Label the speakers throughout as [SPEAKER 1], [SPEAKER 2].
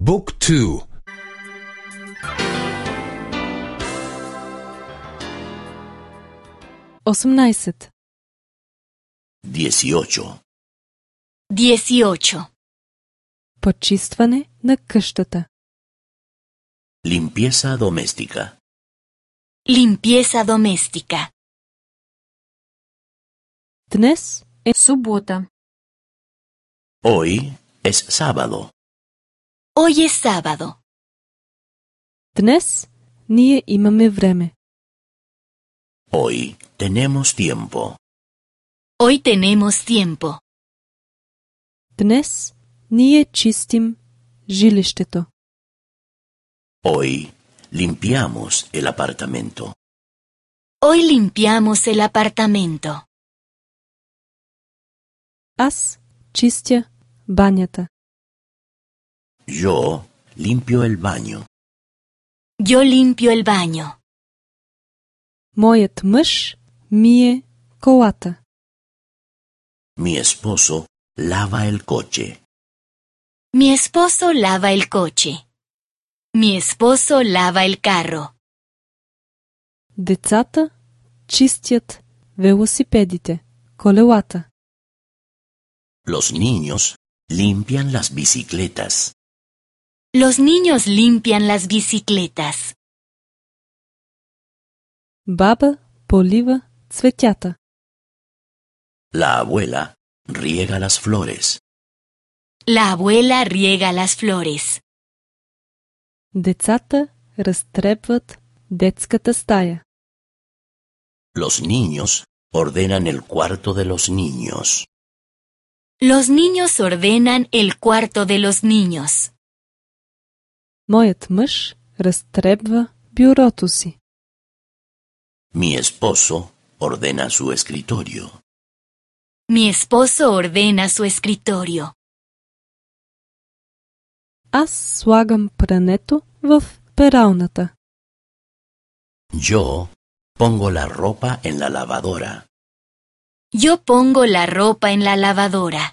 [SPEAKER 1] Book 2.
[SPEAKER 2] 18.
[SPEAKER 3] 18.
[SPEAKER 4] 18.
[SPEAKER 2] Почистване на къщата.
[SPEAKER 3] Limpieza doméstica.
[SPEAKER 4] Limpieza doméstica.
[SPEAKER 2] Днес е
[SPEAKER 4] Събота.
[SPEAKER 3] Hoy es sábado.
[SPEAKER 4] Hoy es sábado.
[SPEAKER 2] Днес ние имаме време.
[SPEAKER 3] Hoy tenemos tiempo.
[SPEAKER 4] Hoy tenemos tiempo.
[SPEAKER 2] Днес ние чистим жилището.
[SPEAKER 3] Hoy limpiamos el apartamento.
[SPEAKER 4] Hoy limpiamos el apartamento.
[SPEAKER 2] Аз чистя банята.
[SPEAKER 3] Yo limpio el baño.
[SPEAKER 4] Yo limpio el baño.
[SPEAKER 2] Моят мъж мие колата.
[SPEAKER 3] Mi esposo lava el coche.
[SPEAKER 4] Mi esposo lava el coche. Mi esposo lava el carro.
[SPEAKER 2] Децата чистят велосипедите, колелата.
[SPEAKER 3] Los niños limpian las bicicletas.
[SPEAKER 4] Los niños limpian las bicicletas.
[SPEAKER 2] Баба полива цветята.
[SPEAKER 3] La abuela riega las flores.
[SPEAKER 4] La abuela riega las flores.
[SPEAKER 2] Децата разтребват детската стая.
[SPEAKER 3] Los niños ordenan el cuarto de los niños.
[SPEAKER 4] Los niños ordenan el cuarto de los niños.
[SPEAKER 2] Моят мъж разтребва бюрото си.
[SPEAKER 3] Mi esposo ordena su escritorio.
[SPEAKER 4] Mi esposo ordena su escritorio.
[SPEAKER 2] Аз слагам прането в пералната.
[SPEAKER 3] Yo pongo la ropa en la lavadora.
[SPEAKER 4] Yo pongo la ropa en la lavadora.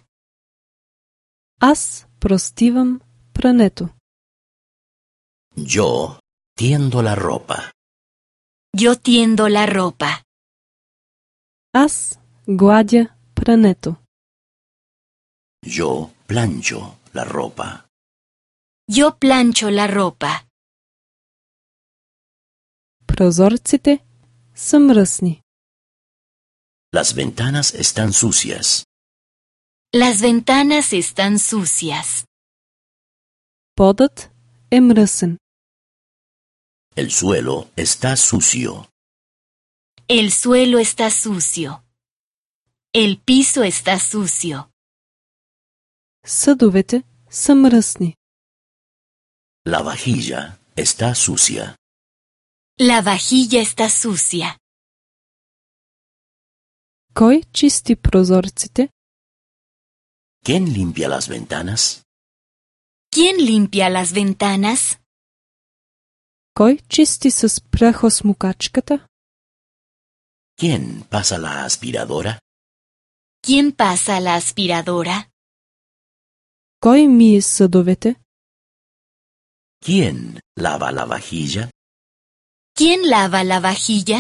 [SPEAKER 2] Аз простивам прането.
[SPEAKER 3] Yo tiendo la ropa.
[SPEAKER 4] Yo tiendo la ropa.
[SPEAKER 2] Аз гладя прането.
[SPEAKER 3] Yo plancho la ropa.
[SPEAKER 4] Yo plancho la ropa.
[SPEAKER 2] Прозорците са мръсни.
[SPEAKER 3] Las ventanas están sucias.
[SPEAKER 4] Las ventanas están sucias.
[SPEAKER 2] Подът е мръсен.
[SPEAKER 3] El suelo está sucio.
[SPEAKER 4] El suelo está sucio. El piso está sucio.
[SPEAKER 2] Съдовете са мръсни.
[SPEAKER 3] La vajilla está sucia.
[SPEAKER 4] La vajilla está sucia.
[SPEAKER 2] Кой чисти прозорците?
[SPEAKER 3] ¿Quién limpia las ventanas?
[SPEAKER 4] ¿Quién limpia las ventanas?
[SPEAKER 2] Кой чисти с прахосмукачката?
[SPEAKER 3] ¿Quién pasa la aspiradora?
[SPEAKER 4] ¿Quién pasa la aspiradora?
[SPEAKER 2] Кой мие съдовете?
[SPEAKER 3] ¿Quién lava la vajilla?
[SPEAKER 4] ¿Quién lava la vajilla?